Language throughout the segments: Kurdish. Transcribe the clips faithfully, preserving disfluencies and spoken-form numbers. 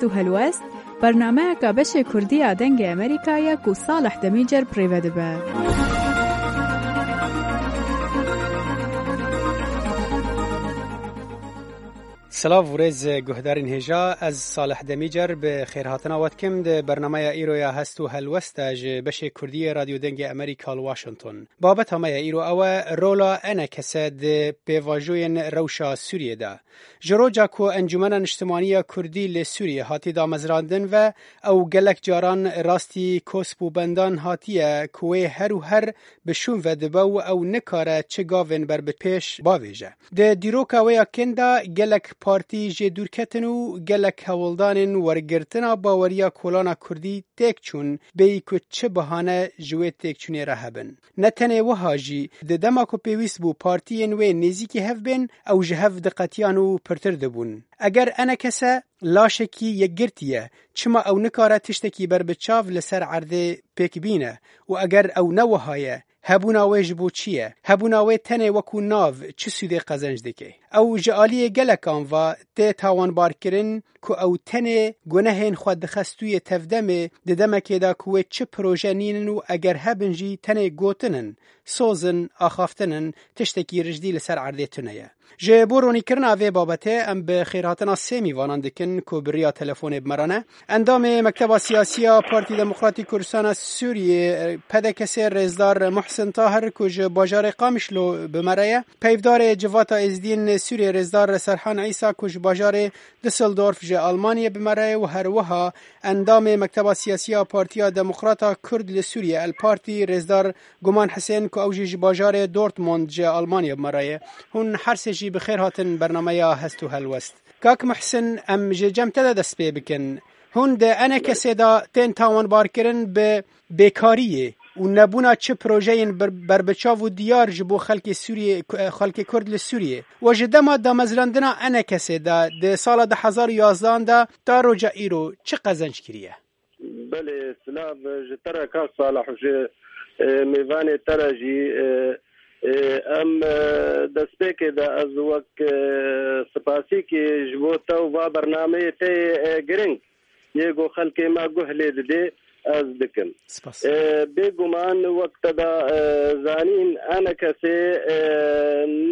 Hest û Helwest, bernameyeka beşê Kurdî ya Dengê Amerîka ye ku Salih Demîcer bi rê ve dibe. Silav û rêz guhdarên hêja, ez Salih Demîcer bi xêrhatina we dikim di bernameya îro ya Hest û Helwest de ji beşê Kurdî yê Radyo Dengê Amerîka li Washington. Babeta me ya îro ew e, rola E N K S di pêvajoyên rewşa Sûriyê de. Ji roja ku Encûmena Niştimanî ya Kurdî li Sûriyê hatî damezrandin ve, ew gelek caran rastî kosp û bendan hatiye ku wê her û her bi şûn ve dibe û ew nikare çi gavên ber bi pêş bavêje. Di dîroka wê ya kin de gelek partî jê dûr ketin û gelek hewldanên wergirtina baweriya kolana Kurdî têk çûn, bêyî ku çi bahane ji wê têkçûnê re hebin. Ne tenê wiha jî, di dema ku pêwîst bû partiyên wê nêzîkî hev bên, ew ji hev diqetiyan û pirtir dibûn. Eger E N K S laşekî yekgirtî ye, çima ew nikare tiştekî berbiçav li ser erdê pêk bîne? Û eger ew ne wiha ye, hebûna wê ji bo çi ye? Hebûna wê tenê wekû nav çi sûdê qezenc dike? Ew ji aliyê gelekan ve tê tawanbarkirin ku ew tenê gunehên xwe dixe stûyê tevdemê, di demekê de ku wê çi proje nînin û eger hebin jî tenê gotin in, soz in, axaftin in, tiştekî rijdî li ser erdê tune ye. Ji bo ronîkirina vê babetê em bi xêrhatina sê mîvanan dikin ku bi riya telefonê bi me re ne. Endamê Mekteba Siyasî ya Partî Demokratî Kurdistana Sûriyê, P D K S, rêzdar Muhsin Tahir ku ji bajarê Qamişlo bi me re ye. Peyvdarê Civata Êzidiyên Sûriyê rêzdar Serhan Îsa ku ji bajarê Düsseldorf ji Almanyê bi me re ye û her wiha endamê Mekteba Siyasî ya Partiya Demokrata Kurd li Sûriyê, El Partî, rêzdar Guman Hisên ku ew jî ji bajarê Dortmund ji Almanyê bi me re ye. Hûn her sê jî bi xêr hatin bernameya Hest û Helwest. Kak Muhsin, em ji cem te de dest pê bikin. Hûn di E N K S'ê de tên tawanbarkirin bi bêkariyê û nebûna çi projeyên ber-, berbiçav û diyar ji bo xelkê Sûriyê, xelkê Kurd li Sûriyê. We ji dema damezrandina E N K S'ê de di sala du hezar û yazdehan de ta roja îro çi qezenc kiriye? Belê, silav ji te re kak Salih û ji, e, mêvanê te re jî, e, e, em, e, destpêkê de ez wek, e, spasîkê ji bo te û va bernameyê te yê, e, giring yê ku xelkê me guh lê didê, ez dikim. Spas. E, bêguman wek te da, e, zanîn, E N K S'ê, e,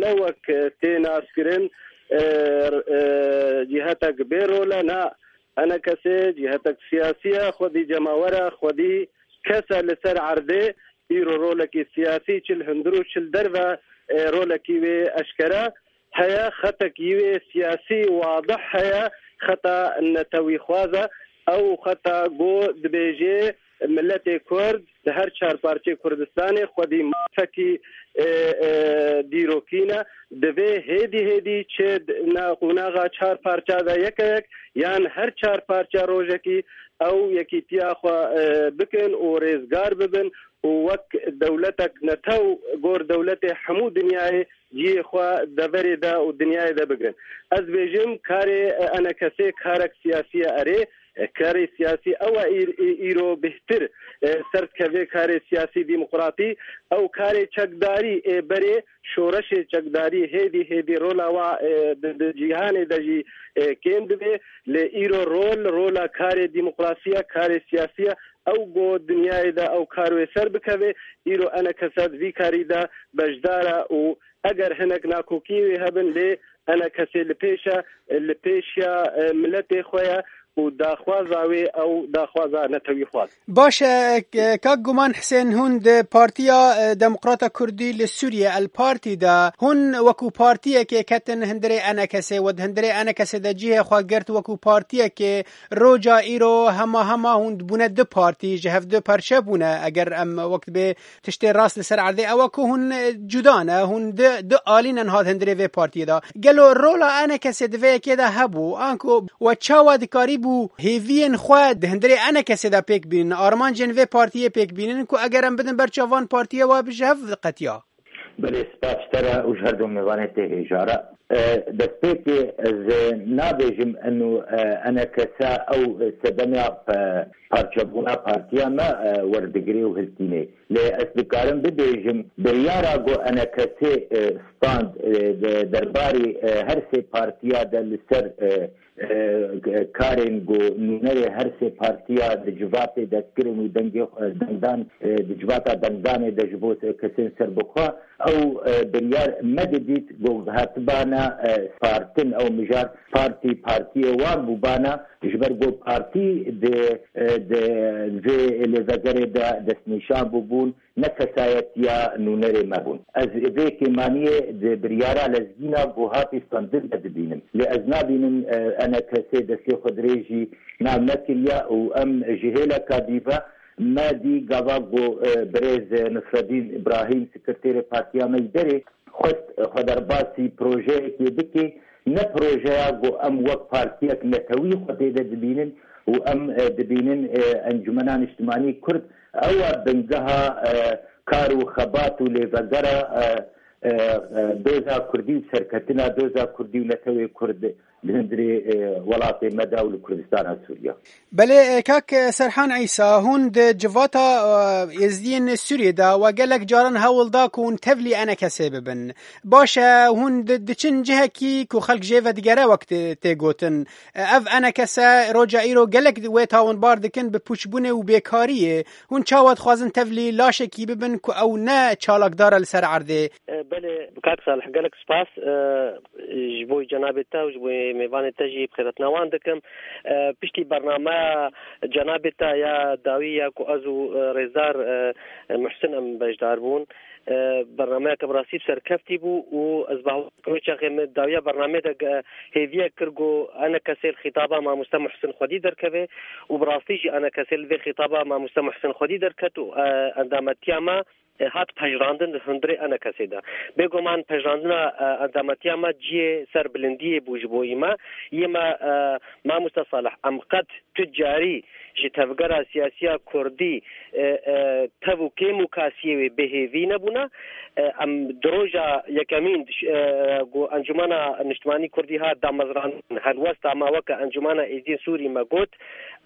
ne wek tê naskirin, e, e, cîhetek bê rol e, na, E N K S'ê cîhetek siyasî ye, xwedî cemawer e, xwedî kes e li ser erdê, îro rolekî siyasî çi li hundir û çi li derve, e, rolekî wê eşkere heye, xetekî wê siyasî wadih heye, xeta netewîxwaz e, ew xeta ku dibêjê miletê Kurd di her çar parçeyê Kurdistanê xwedî mafekî, e, e, dîrokî ne, divê hêdî hêdî çi di na qonaxa çar parça de yeke yek yan her çar parça rojekî ew yekîtiya xwe, e, bikin û rêzgar bibin û wek dewletek netew gor dewletê hemû dinyayê cihê xwe deverê de û dinyayê de bigrin. Ez bêjim karê, e, E N K S'ê karek siyasî ye erê, e, karê siyasî ew e îr-, î-, îro bêhtir, e, ser dikeve karê siyasî demokratî, ew karê çekdarî ê berê şoreşê çekdarî hêdî hêdî rola wa, e, di, di cîhanê de jî, e, kêm dibe. Lê îro rol, rola karê demokrasî ye, karê siyasî ye. Ew ku dinyayê de ew kar wê ser bikeve, îro E N K S di vî karî de beşdar e û eger hinek nakokiyê wê hebin, lê E N K S li pêş e, li pêşiya, e, miletê xwe ye û daxwaza wê ew daxwaza netewîxwaz. Baş e, k-, kak Guman Hisên, hûn di Partiya, e, Demokrata Kurdî li Sûriyê, El Partî de, hûn wekû partiyekê ketin hundirê E N K S'ê, we di hundirê E N K S'ê de cihê xwe girt wekû partiyekê. Roja îro hema hema hûn dibûne du partî, ji hev du perçe bûne, eger em wek dibê tiştê rast li ser erdê ew e ku hûn, e, cuda ne, hûn di, du alî ne niha di hundirê vê partiyê de. Gelo rola E N K S'ê di vê yekê de hebû? Anku we çawa dikarî bû hêviyên xwe di hundirê E N K S'ê de pêk bînin, armancên vê partiyê pêk bînin ku eger em bidin ber çavan partiyê we bi ji hev qetiya? Belê, spas ji te re û ji her du mêvanê tê hêja re. E, destpêkê ez, e, nabêjim eno, e, enekese ew sedema, e, parçebûna partiya me, e, werdigirê û hiltînê. Lê ez dikarim bibêjim, biryara ku enekesê, e, stand, e, de, derbarê, e, her sê partiya de li ser, e, e, karên ku nûnerê her sê partiya di civatê de kirin û dengê, e, dengdan, e, di civata dengdanê de ji bo kesên serbixwe, ew, e, biryar me didît ku hatibana, e, partin, ew mijar partî, partiyê wan bûbana, ji ber ku partî di, e, di vê lêvegerê de destnîşan bûbûn, ne kesayetiya nûnerê me bûn. Ez vê kêmaniyê di biryara lezgîna ku hatî standin de dibînim. Lê ez nabînim, e, enekesê destê xwe dirêjî nav nekiriye û em ji hêleka dî ve me dî gava ku, e, birêz Nisredîn Îbrahîm, sekreterê partiya me yî derê, xwest xwe derbasî projeyekê bike, ne projeya ku em wek partiyek netewî xwe tê de dibînin û em, e, dibînin, e, Encûmena Niştimanî Kurd, ew e bingeha, e, kar û xebat û lêvegera, e, e, e, doza Kurdî û serketina doza Kurdî û netewê Kurd li hundirê, e, welatê me de û li Kurdistana Sûriye. Belê, e, kak, e, Serhan Îsa, hûn di civata, e, Êzdiyên Sûriyê de we gelek caran hewl da ku hûn tevlî enekesê bibin. Baş e, hûn di, diçin cihekî ku xelk jê vedigere wek tê, tê gotin. E, ev enekese roja îro gelek wê tawinbar dikin bi pûçbûnê û bêkariyê. Hûn çawa dixwazin tevlî laşekî bibin ku ew ne çalakdar e li ser erdê? E, belê, kak Salih, gelek spas, e, ji bo cenabê te û ji bo mêvanê te jî bi xêretina wan dikim. E, piştî bernameya cenabê te ya dawî ya ku ez û, e, rêzdar, e, Muhsin em beşdar bûn. E, bernameyeke bi rastî bi serkeftî bû û ez bawer dikim wê çaxê min dawiya bernameyê de ge-, hêviyek kir ku enekesê li xîtaba mamoste Muhsin xwedî derkeve û bi rastî jî enekesê li vê xîtaba mamoste Muhsin xwedî derket û, e, endametiya me e, hat pejirandin di hundirê enekesê de. Bêguman pejirandina, e, endametiya me cihê ser bilindiyê bû ji bo me. Yê me, e, mamoste Salih, em qet tu carî ji tevgera siyasiya Kurdî, e, e, tev û kêm û kasiyê wê bêhêvî nebûne. E, em di roja yekemîn, e, ku Encûmena Niştimanî Kurdî hat damezrandin, helwesta me weke Encûmena Êzîdên Sûrî me got,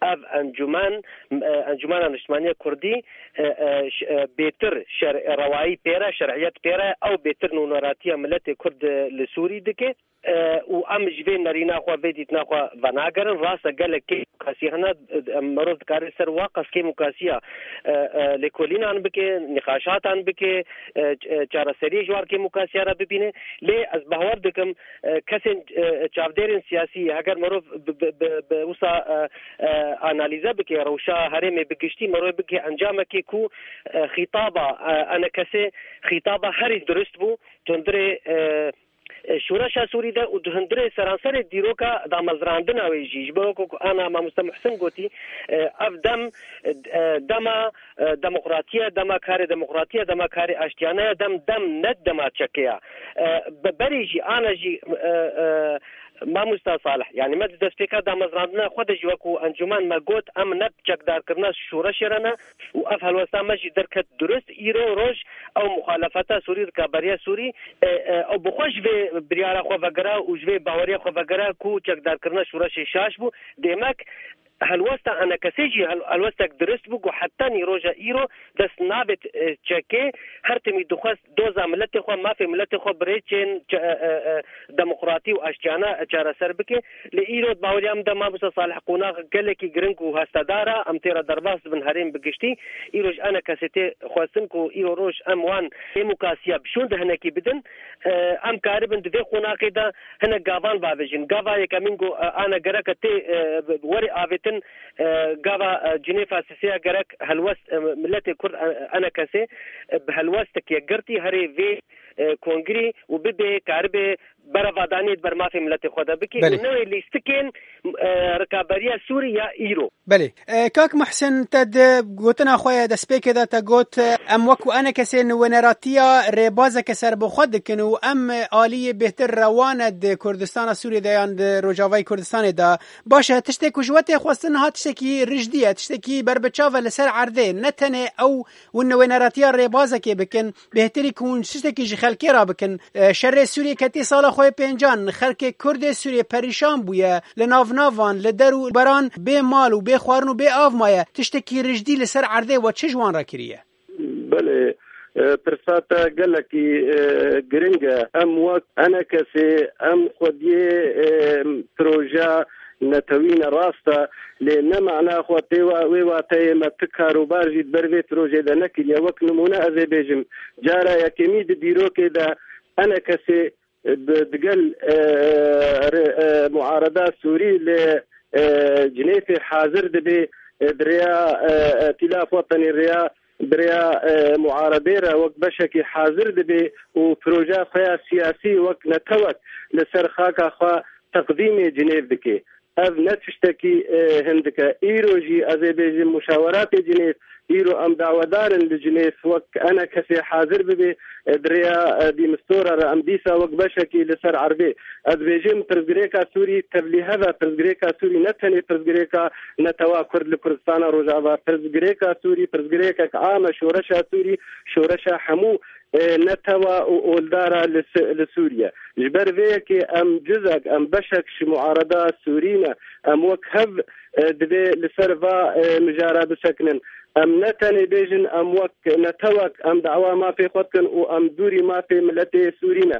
ev encûmen, e, Encûmena Niştimanî Kurdî, e, e, ş-, e, bêtir şer-, rewayî pê re, şer'iyet pê re, ew bêtir nûneratiya miletê Kurd, e, li Sûrî dike. E, û em ji vê nerîna xwe, vê dîtina xwe venagerin. Rast e, gelek kêmûkasî hene, e, em, mirov dikare ser wa qas kêmûkasiya, e, e, lêkolînan bike, nîqaşatan bike, e, ç-, e, çareseriyê ji wan kêmûkasiya re bibîne. Lê ez bawer dikim, e, kesên, e, çavdêrên siyasî, heger mirov bi, bi, bi, bi wisa, e, e, analîze bike, rewşa herêmê bi giştî, mirov bike encamekê ku, e, xîtaba, e, enekesê xîtaba herî dirust bû, di hundirê, e, e, şoreşa Sûrî de û di hundirê seranserê dîroka damezrandina wê jî. Ji bo ku ana mamoste Muhsin gotî, e, ev dem, e, dema, e, demokratiye, dema karê demokratiye, dema karê aştiyane ye, dem, dem ne dema çekê ye. E, be-, berê jî, ana jî, e, e, Mamosta Salih, yanî me di destpêka damezrandina xwe de jî wekû encûmen me got, em ne bi çekdarkirina şoreşê re ne û ev helwesta me jî derket durist. Îro roj ew muxalefeta Sûrî, rikaberiya Sûrî, e, e, ew bi xwe ji vê biryara xwe vegera û ji vê baweriya xwe vegera ku çekdarkirina şoreşê şaş bû. Demek helwesta enekesê jî hel-, helwestek dirist bû ku heta nî roja îro dest nabêt, e, çekê. Her timî dixwest doza miletê xwe, mafê miletê xwe bi rêçên çe-, e, e, e, demokratî û aştiyane çareser bike. Lê îro di baweriya min de mamosta Salih qonax gelekî giring û hestedar e. Em tê re derbas dibin herêm bi giştî. Îro ji enekesê tê xwestin ku îro roj em wan demokrasiya bi şûn de hinekî bidin. E, em karibin di vê qonaxê de hinek gavan bavêjin. Gava yekemîn ku, e, ane gereke tê, e, were avêtin, e, gava, e, Cinêfa sisê ya gerek helwest, e, miletê Kurd, e, enekesê, e, bi helwestek yekgirtî herê vê, e, kongrî û bibê, karibe berevadaniyê di ber mafê miletê xwe de bike Belê. û newê lîstikên, e, rikaberiya Sûrî ya îro. Belê. E, Kak Muhsin, te di gotina xwe ya destpêkê de te got, e, em wekî enekesên wêneratiya rêbazeke serbixwe dikin û em aliyê bêhtir rewane di Kurdistana Sûriyê de yan di Rojavayê Kurdistanê de. Baş e, tiştê ku ji we tê xwestin niha tiştekî rijdî ye, tiştekî berbiçav e li ser erdê. Ne tenê ew hûn wêneratiya rêbazekê bikin, bêhtirî ku hûn tiştekî ji xelkê re bikin. E, şerê Sûriyê ketî sala xwe yê pêncan, xelkê Kurd ê Sûriyê perîşan bûye, li nav navan, li der û beran bê mal û bê xwarin û bê av maye. Tiştekî rijdî li ser erdê we çi ji wan re kiriye? Belê, e, pirsa te gelekî, e, giring e. Em wek enekesê, em xwediyê, e, proje netewî ne, rast e, lê ne mana xwe tê wa-, wê wateyê me ti karûbar jî di ber vê projê de nekiriye. Wek nimûne ez ê bêjim, cara yekemî di dîrokê de enekesê bi, digel, e, re-, e, muareda Sûrî li, e, Cinêfê hazir dibe, e, bi rêya, e, Îtîlaf Wetenî rêya, bi rêya, e, muaredê re wek beşekî hazir dibe û projeya xwe ya siyasî wek netewek li ser xaka xwe teqdîmê Cinêv dike. Ev ne tiştekî, e, hindik e. Îro jî ez ê bêjim muşaweratê Cinêv, îro em dawedar in li Cinêv wek enekesê hazir bibe, e, di rêya, e, Dîmistora re em dîsa wek beşekî li ser erdê. Ez bêjim pirsgirêka Sûrî tevlîhev e, pirsgirêka Sûrî ne tenê pirsgirêka netewa Kurd li Kurdistana Rojava, pirsgirêka Sûrî pirsgirêkek am e, şoreşa Sûrî şoreşa hemû, e, netewa û oldara li Si-, li Sûriye. Ji ber vê yekê em cizek, em beşek ji muareda Sûrî ne. Em wek hev, e, divê li ser va, e, mijara bisekinin. Em ne tenê bêjin, em wek netewek, em dawa mafê xwe dikin û em dûrî mafê miletê Sûrî ne.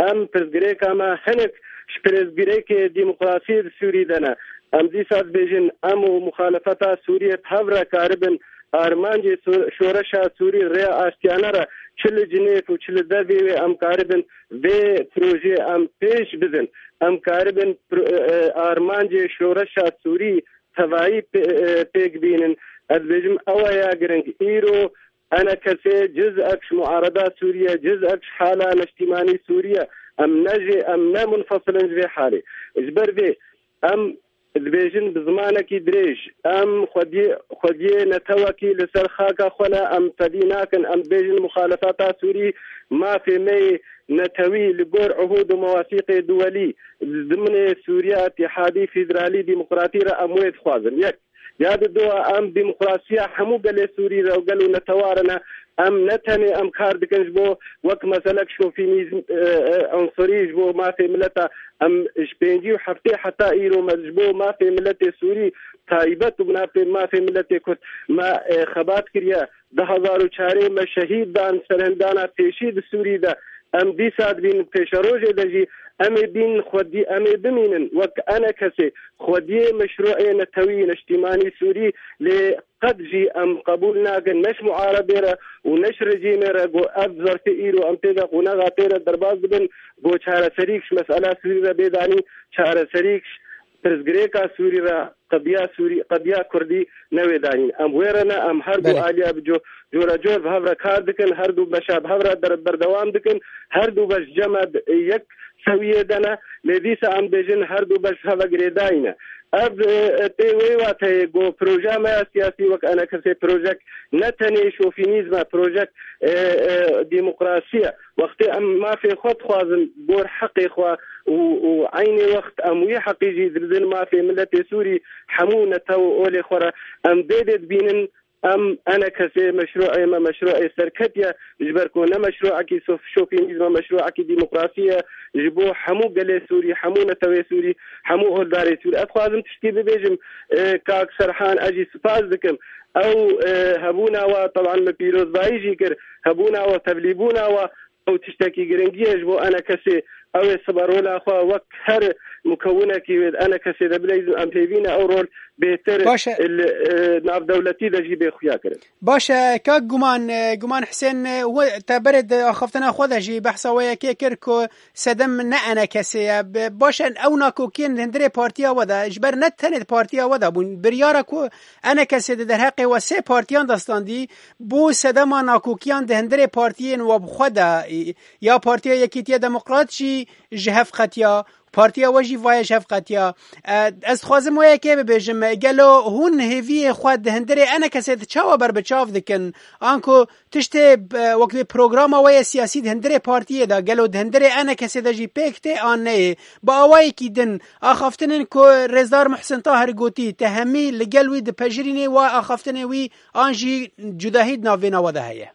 Em pirsgirêka me hinek ji pirsgirêkê demokrasiyê di Sûrî de ne. Em dîsa dibêjin, em û muxalefeta Sûriyê bi hev re karibin armancê so-, şoreşa Sûrî rêya aştiyane re çi li Cinêv û çi li dervê wê em karibin vê projeyê em pêş bidin. Em karibin pro-, e, e, armancê şoreşa Sûrî tevayî pê-, e, pêk bînin. Ez dibêjim ew e ya giring. Îro enekesê cizek ji muareda Sûriye, cizek ji hala neştîmanî Sûriye. Em ne jê, em ne munfasil in ji vê halê. Ji ber vê em dibêjin bi zimanekî dirêj, em xwediyê, xwediyê netewekî li ser xaka xwe ne, em fedî nakin, em dibêjin muxalefeta Sûrî mafê me yê netewî li gor uhûd û mewasîqê duwelî, di dimnê Sûriya îtîhadî, federalî, demokratî re em wê dixwazin. Yek. Ya di dua em demokrasiya hemû gelê Sûrî re û gel û netewa re ne. Em ne tenê em kar dikin ji bo wek meselek şofînîzm, e, e, unsurî ji bo mafê mileta. Em ji pêncî û heftê heta îro me ji bo mafê miletê Sûrî taybet û mafê, mafê miletê Kurd me, e, xebat kiriye. Du hezar û çarê me şehîd dan, serhildana pêşî di Sûrî de. Em dîsa dibînin pêşerojê de jî em ê bînin xwedî, em ê bimînin wek enekesê xwediyê meşrûê netewî neştîmanî Sûrî, lê qet jî em qebûl nakin ne ji muaredê re û ne ji rejîmê re ku ev zerfê îro em tê de qonaxa tê de derbas dibin, ku çareserîk ji mesela Sûrî re bê danîn, çareserîk ji pirsgirêka Sûrî re, qediya Sûrî, qediya Kurdî newê danîn. Em wê re ne, em her du Belê. aliya bi co-, cora cor bi hev re kar dikin, her du beşa bi hev re der-, berdewam dikin, her du beş cem e di yek sewiyê de ne, lê dîsa em bêjin her du beş bi hev ve girêdayî ne. Ev, e, e, tê wê wateyê ku projeya me ya siyasî wek enekesê projek ne tenê şofînîzm e, projek, e, e, demokrasî ye. Wextê em mafê xwe dixwazin gor heqê xwe û, û eynê wext em wî heqî jî dibidin mafê miletê Sûrî, hemû netew û olê xwe re em vê dê dibînin, em enekesê meşrûê me, meşrûê serketiye, ji ber ku ne meşrûekî sof-, şofînîzm e, meşrûekî demokrasî ye, ji bo hemû gelê Sûrî, hemû netewê Sûrî, hemû oldarê Sûrî. Ez dixwazim tiştî bibêjim, e, kak Serhan, ez jî spas dikim. Ew, e, hebûna we, teban min pîrozbayî jî kir, hebûna we, tevlîbûna we, ew tiştekî giringî ye ji bo enekesê. Ew ê sibe rola xwe wek her mukewinekî wê di enekesê de bileyzin, em pêvî ne ew rol bêtir Baş e. li, e, navdewletî de jî bê xuya kirin. Baş e, kak Guman, e, Guman Hisên, e, we te berê di axaftina xwe de jî behsa wê yekê kir ku sedem ne enekesê ye. Be-, baş e, ew nakokiyên di hundirê partiya we de, ji ber ne tenê di partiya we de bûn. Biryara ku enekesê di derheqê we sê partiyan de standî, bo sedema nakokiyan di hundirê partiyên we bi xwe de, e, ya Partiya Yekîtiya Demokrat jî ji hev qetiya, partiya we jî vaye ji hev qetiya. E, ez dixwazim wê yekê bibêjim, gelo hûn hêviyê xwe di hundirê enekesê de çawa berbiçav dikin? Anku tiştê, e, wek vê programa we yê siyasî di hundirê partiyê de, gelo di hundirê enekesê de jî pêk tê an neyê? Bi awayekî din, axaftinên ku Rêzdar Muhsin Tahir gotî, te hemî li gel wî dipejirînê, wa axaftinê wî an jî cudahî di navbêna we de heye?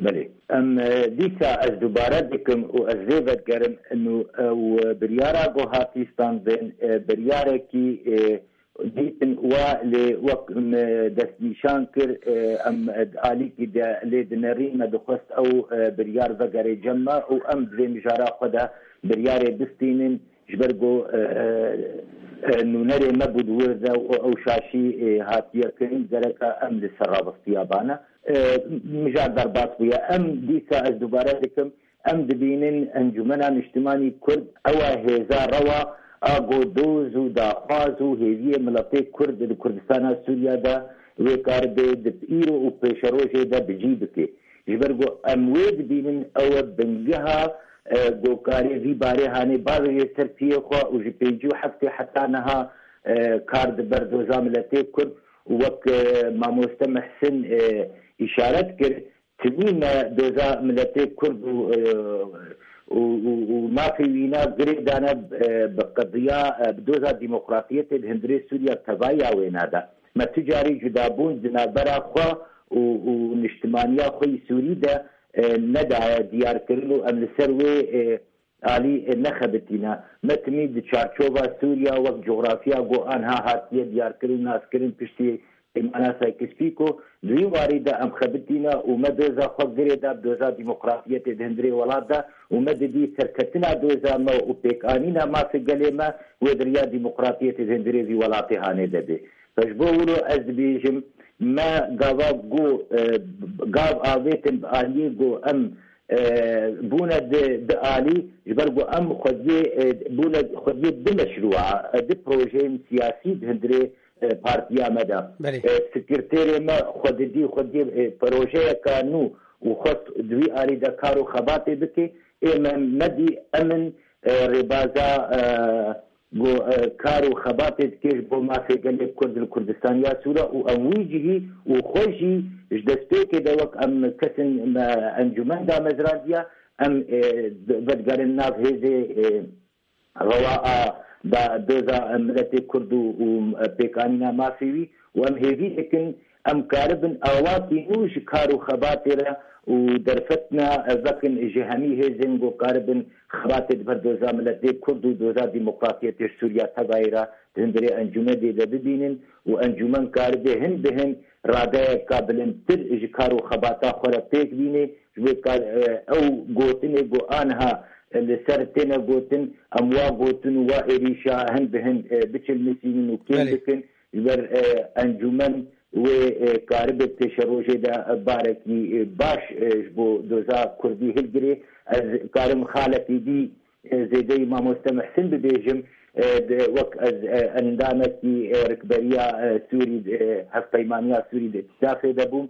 Belê. Em, e, dîsa ez dubare dikim û ez vê vedigerim, inu ew biryara ku hatî standin, e, biryarekî, e, dîtin wa lê wek me destnîşan kir, e, em, e, alîkî de lê dinerîn, me dixwest ew, e, biryar vegere cem me û em di vê mijara xwe de biryarê bistînin. Ji ber ku, e, e, nûnerê me bû di wir de û ew şaşî, e, hatiye kirin, gereka em li ser rabistiya bane. E, mijar derbas bûye. Em dîsa, ez dubare dikim, em dibînin Encûmena Niştimanî Kurd ew e hêza rewa a ku doz û daxwaz û hêviyê miletê Kurd di Kurdistana Sûriya de wê karibe di îro û pêşerojê de bi cî bike. Ji ber ku em wê dibînin, ew e bingeha, e, ku karê vî barê hanê bavêje ser piyê xwe û ji pêncî û heftê heta niha, e, kar di ber doza miletê Kurd û wek, e, mamoste Mihsin, e, îşaret kir, timî me doza miletê Kurd û, e, û, û, û mafê wîna girê dane, e, bi qediya, e, bi doza demokratiyetê di hundirê Sûriya tevaya wêna de. Me tu carî cudabûn di navbera xwe û, û niştimaniya xwe yî Sûrî de, e, nedaye diyarkirin û em li ser wê, e, alî, e, nexebitîne. Me timî di çarçova Sûriya wek coxrafiya ku anha hatiye diyarkirin û naskirin piştî Peymana Sykes-Picot, di wî warî de em xebitîne û me doza xwe girê da bi doza demokratiyetê di hundirê welat de û me didî serketina doza me û pêkanîna mafê gelê me wê di riya demokratiyetê di hundirê vî welatê hanê de bê. Ji bo wilo ez dibêjim, me gava ku, e, gav avêtin bi aliyê ku em, e, bûne di, di alî, ji ber ku em xwediyê, e, bûne xwediyê di meşrûa, e, di projeyên siyasî di hundirê, e, partiya me de. Belê. E, sekreterê me xwe didî xwediyê, e, projeyeka nû û xwest di wî alî de kar û xebatê bike. Ê me nedî em in, e, rêbaza, e, ku, e, kar û xebatê dike ji bo mafê gelê Kurd li Kurdistaniya Sûre û em wî cihî û xwe jî ji destpêkê de wek em kesên me encûmen damezrandiya, em, e, vedigerin nav hêzê, e, rewa a da doza miletê Kurd û, û pêkanîna mafê wî û em hêvî dikin em karibin awakî nû ji kar û xebatê re û derfetina vekin ji hemî hêzên ku karibin xebatê di ber doza miletê Kurd û doza demokratiyetê ji Sûriya tevayê re di hundirê encûmedê de bibînin û encûmen karibe hin bi hin radeyeka bilindtir ji kar û xebata xwe re pêk bîne. Ji bo kar, e, ew gotinê ku anha, e, li ser têne gotin, em wa gotin û wa êrîşa hin bi hin, e, biçilmisînin û kêm Belê. bikin. Ji ber, e, encûmen wê, e, karibe pêşerojê de, e, barekî, e, baş, e, ji bo doza Kurdî hilgirê. Ez karim xalekî dî, e, zêdeyî mamoste Mihsin bibêjim, e, de, wek ez, e, endamekî, e, rikberiya, e, Sûrî, e, hevpeymaniya Sûrî di îtîsafê de bûm.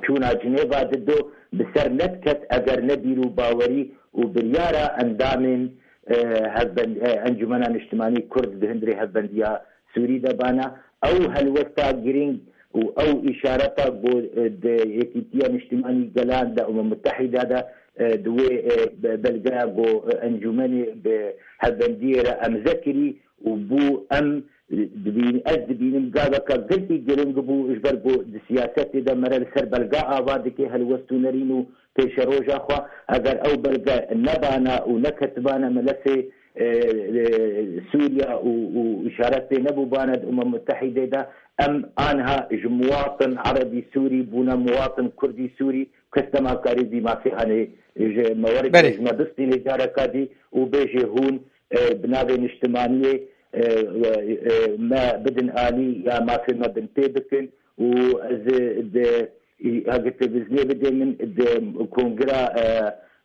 Çûna Cinêva dido bi ser nediket eger ne bîr û bawerî û biryara endamên, e, hevbend-, e, Encûmena Niştimanî Kurd di hundirê Hevbendiya Sûrî de bana. Ew helwesta girîng û ew îşareta ku, e, di Yekîtiya Niştimanî Gelan de, Umem Mutehîda de, e, di wê, e, be-, belgeya ku, e, encûmenê bi hevbendiyê re emze kirî, û bû em dibîn-, ez dibînim gaveka gelkî giring bû, ji ber ku di siyasetê de mere li ser belga ava dike helwest û nerîn û pêşeroja xwe. Eger ew belge nebana û neketibane melefê, e, e, Sûriya û, û îşaret pê nebûbane di Umem Mutehîdê de, em anha ji muwatin Erebî Sûrî bûne muwatin Kurdî Sûrî, kes dema karî vî mafê hanê ji me were Belê. ji me bistîne careka dî û bêjê hûn, e, bi navê niştimaniyê, e, e, e, me bidin alî ya mafê me binpê bikin û ez di, heke televîzyonê bidê min di kongira, e,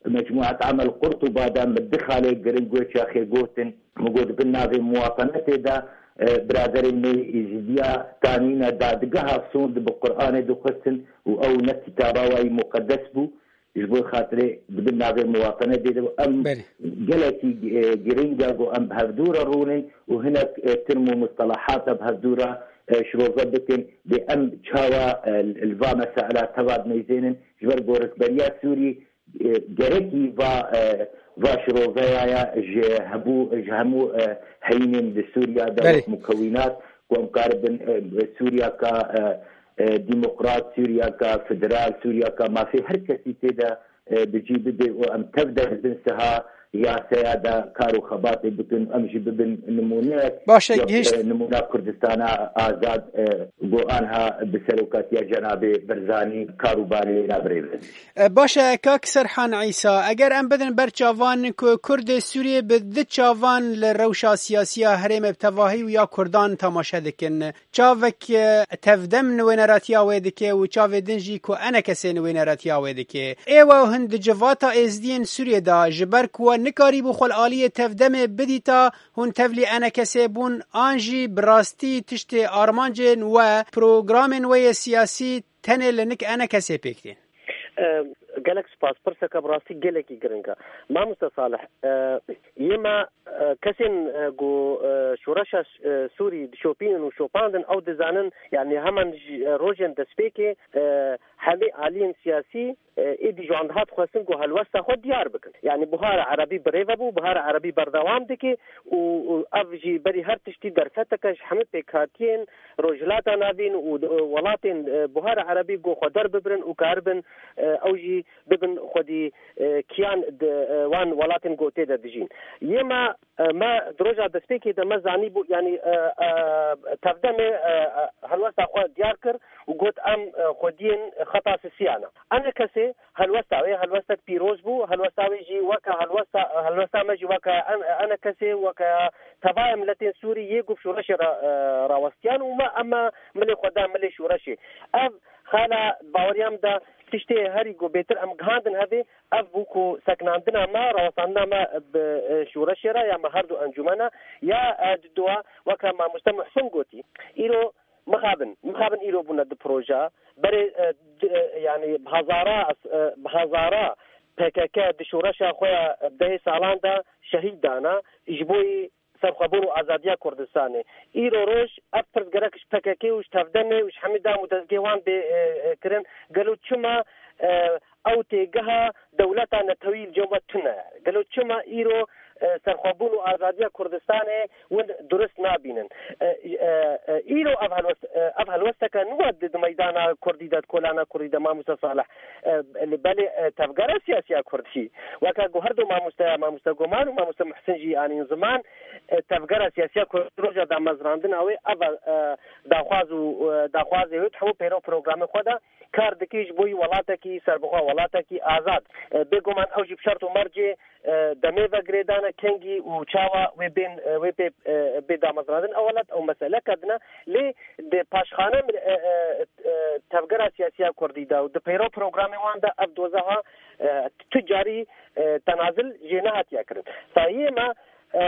Mecmuat Amel Qurtuba de min du xalê giring wê çaxê gotin. Min got bin navê muwatenetê de, e, biraderê min ê Êzidiya tanîne dadgeha Sûnd bi Qur'anê dixwestin û ew ne kitaba wayî muqedes bû. Ji bo xatirê dibin navê muwatenetê de em Belê. gelekî, e, giring e ku em bi hevdû re rûnin û hinek, e, term û mustalahat e bi hevdû re, e, şirove bikin. Dê em çawa, e, li va mesela teva dineyzênin ji ber ku rikberiya Sûrî, e, gerekî va, e, va şiroveya ya ji hebû, ji hemû, e, heyînên di Sûriya de Belê. wek mukewînat ku em karibin, e, Sûriyaka, e, e, demokrat, Sûriyaka federal, Sûriyaka mafê her kesî tê de, e, bi cî bibe û em tev de di bin siha yaseya de kar û xebatê bikin, em jî bibin nimûneyek Baş e, wek, gihişt. e, nimûna Kurdistana azad, e, ku anha bi serokatiya Cenabê Barzanî kar û barê wê re birêve. E, baş e, kak Serhan Îsa, eger em bidin ber çavan ku Kurdê Sûriyê bi du çavan li rewşa siyasiya herêmê bi tevahî û ya Kurdan temaşe dikin, çavek, e, tevdem nûêneratiya wê dike û çavê din jî ku enekesê nûêneratiya wê dike. Ê we hûn di civata êzdiyên Sûriyê de, ji ber ku we nikarîbû xwe li aliyê tevdemê bidîta, hûn tevlî enekesê bûn, an jî bi rastî tiştê armancên we, programên we yê siyasî tenê li nik enekesê pêk tên? E, gelek spas. Pirseke bi rastî gelekî giring e. Mamoste Salih, e, yê me, e, kesên, e, ku, e, şoreşa, e, Sûrî dişopînin û şopandin, ew dizanin, yanî heman ji, e, rojên destpêkê, e, hemî aliyên siyasî, e, êdî ji wan dihat xwestin ku helwesta xwe diyar bikin. Yanî Buhara Erebî birêve bû, Buhara Erebî berdewam dike û, û ev jî berî her tiştî derfeteke ji hemî pêkhatiyên Rojhilata Navîn û, e, welatên, e, Buhara Erebî ku xwe derbibirin û karibin, e, ew jî bibin xwedî, e, kiyan di, e, wan welatên ku tê de dijîn. Yê me, e, me di roja destpêkê de me zanîbû, yanî, e, e, tevdemê, e, e, helwesta xwe diyar kir û got, em, e, xwediyên xeta sisiya ne. Enekesê helwesta wê helwestek pîroz bû, helwesta wê jî weke helwesta, helwesta me jî weke en-, enekesê, weke tevayê miletên Sûrî yê ku bi şoreşê re, e, rawestiyan û me, em, milê xwe da milê şoreşê. Ev xala baweriya min de tiştê herî ku bêtir em gihandin hevê, ev bû ku sekinandina me, rawestandina me bi, e, şoreşê re ya me her du encûmena ya, e, di dua weke mamoste Muhsin gotî. Îro mixabin, mixabin îro bûne di proja. Berê, e, di, e, yanî bi hezara, e, bi hezara P K K di şoreşa xwe ya dehê salan de şehîd dana. Ji bo yî serxwebûn û azadiya Kurdistanê. Îro roj ev pirs gerek ji P K K û ji tevdemê û ji hemî dam û dezgehê wan bê, e, e, kirin. Gelo çima, e, ew têgeha dewleta netewî li cem we tune? Gelo çima îro, e, serxwebûn û azadiya Kurdistanê win durist nabînin? E, e, e, îro ev helwest, e, ev helwesteke nû e di, di meydana Kurdî de, di kolana Kurdî de, mamoste Salih. E, li belê, e, tevgera siyasiya Kurdî, weke ku her du mamosteya, mamoste Goman û mamoste Muhsin jî anîn ziman, e, tevgera siyasiya Kurdî roja damezrandina wê, ev, e, daxwaz û, e, daxwazê wê di hemû pêro programê xwe de kar dike ji bo yî welatekî serbixwe, welatekî azad. E, bêguman ew jî bi şert û mercê, e, demê ve girêdane, kengî û çawa wê bên, e, wê pê, e, bê damezrandin. Ew welat ew meseleke din e. Lê di paşxane, e, e, e, tevgera siyasiya Kurdî de û di peyro programê wan de ev doza ha, e, tu carî, e, tenazil jê nehatiye kirin. Sayiyê me, e,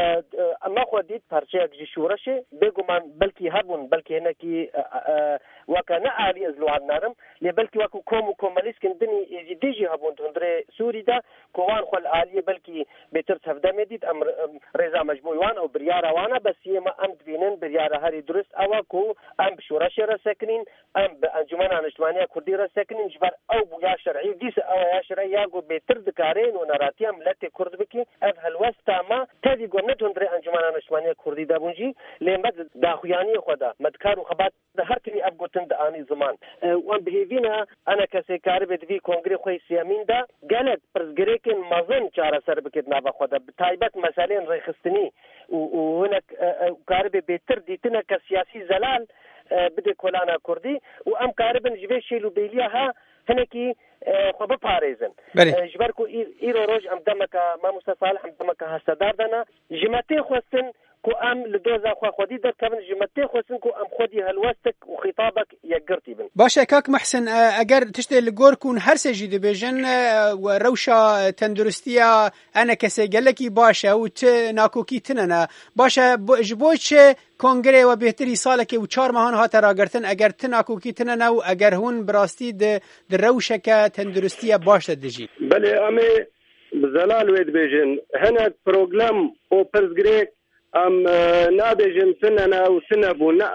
e, me xwe dît parçeyek ji şoreşê. Bêguman belkî hebûn, belkî hinekî, e, e, weke ne alî ez li wan narim, lê belkî wekî kom û komelîskin dinî êzîdî jî hebûn di hundirê Sûrî de, ku wan xwe li aliyê belkî bêtir tevdemê dît, em, em rêza me ji bo wan ew biryara wan e, bes yê me em dibînin biryara herî durist ew e ku em bi şoreşê re sekinîn, em bi Encûmena Niştimaniya Kurdî re sekinîn, ji ber ew bû ya şer'î, dîsa ew e ya şer'î ya ku bêtir dikare nûneratiya miletê Kurd bike. Ev helwesta me tevî ku em ne di hundirê Encûmena Niştimaniya Kurdî de bûn jî, lê me di daxuyaniyê xwe de, me di kar û xebat de her timî ev gotin dianî ziman. E, wan bi hêvî ne, enekesê karibe di vî kongrê xwe yê sêyemîn de gelek pirsgirêkên mezin çareser bike di nava xwe de, bi taybet meseleyên rêxistinî û, û hinek, e, e, karibe bêtir dîtineke siyasî zelal, e, bide kolana Kurdî û em karibin ji vê şêl û bêliya ha hinekî, e, xwe biparêzin. Belê. E, ji ber ku î-, îro roj em demeke, mamoste Salih, em demeke hestedar de ne, ji me tê xwestin Ku em li doza xwe xwedî derkevin, ji me tê xwestin ku em xwedî helwestek û xîtabek yekgirtî bin. Baş e, kak Mehsin, e, eger tiştê li gor ku hûn her sê jî dibêjin, e, we rewşa tenduristiya enekesê gelekî baş e û ti nakokî tine ne. Baş e, bo-, ji bo çi kongrê we bêhtir î salekê û çar mehan hate ragirtin, eger ti nakokî tine ne û eger hûn bi rastî di, di rewşeke tenduristiye baş de dijîn? Belê, em ê bi zelal wê dibêjin. Hinek problem û pirsgirêk em, e, nabêjin tine ne û tine bûn. Ne,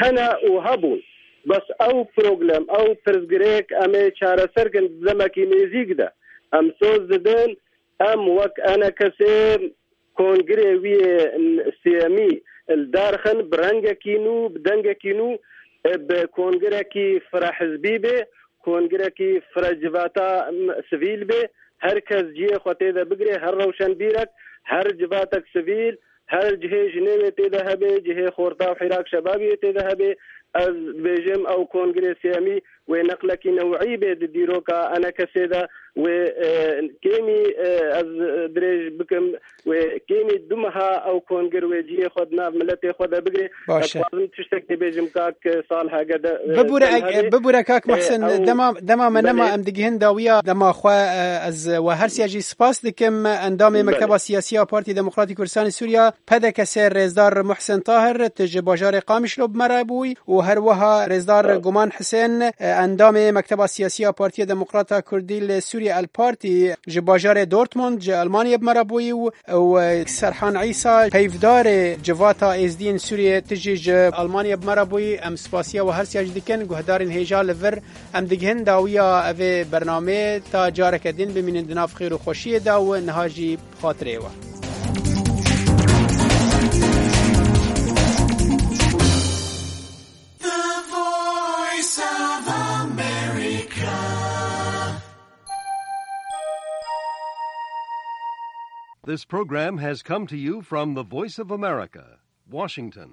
hene û hebûn. Bes ew problem, ew pirsgirêk em ê çareser kin di demekî nêzîk de. Em soz didin, em wek enekesê kongirê wî yê sêyemî li dar xin, bi rengekî nû, bi dengekî nû, e, bi kongirekî firehizbî bê, kongirekî firecivata, m, sivîl bê. Her kes cihê xwe tê de bigirê, her rewşenbîrek, her civatek sivîl, her cihê jinê wê tê de hebe, cihê xorta û hîrak şebabî wê tê de hebe. Ez dibêjim ew kongirê sêyemî wê neqlekî newî bê di dîroka enekesê de, wê, e, kêmî, e, ez dirêj bikim, wê kêmî du meha ew kongir wê cihê xwe di nav miletê xwe de bigire. Baş e. Ez dixwazim tiştekê bêjim, kak Salih, hege de, e, Bibûre, dem eg-, hebe. Bibûre, kak E, Mehsin, ew dema, dema me nema, Belê. Em digihin dawiya dema xwe, e, ez we her siya jî spas dikim. Endamê Belê. Mekteba Siyasî ya Partî Demokratî Kurdistani Sûriya, P D K S, rêzdar Muhsin Tahir, tu ji bajarê Qamişlo bi me re bûyî û her wiha rêzdar Sağ ol. Guman Hisên, e, endamê Mekteba Siyasî ya Partiya Demokrata Kurdî li Sûriye, El Partî, ji bajarê Dortmund ji Almanyê bi me re bûyî û, û, e, Serhan Îsa, peyvdarê Civata Êzdiyên Sûriye, tu jî ji Almanyê bi me re bûyî. Em spasiya we her siya jî dikin. Guhdarên hêja li vir, em digihin dawiya evê bernameyê, ta careke din bimînin di nav xêr û xweşiyê de û niha jî bi xatirê we. The Voice of America. This program has come to you from the Voice of America, Washington.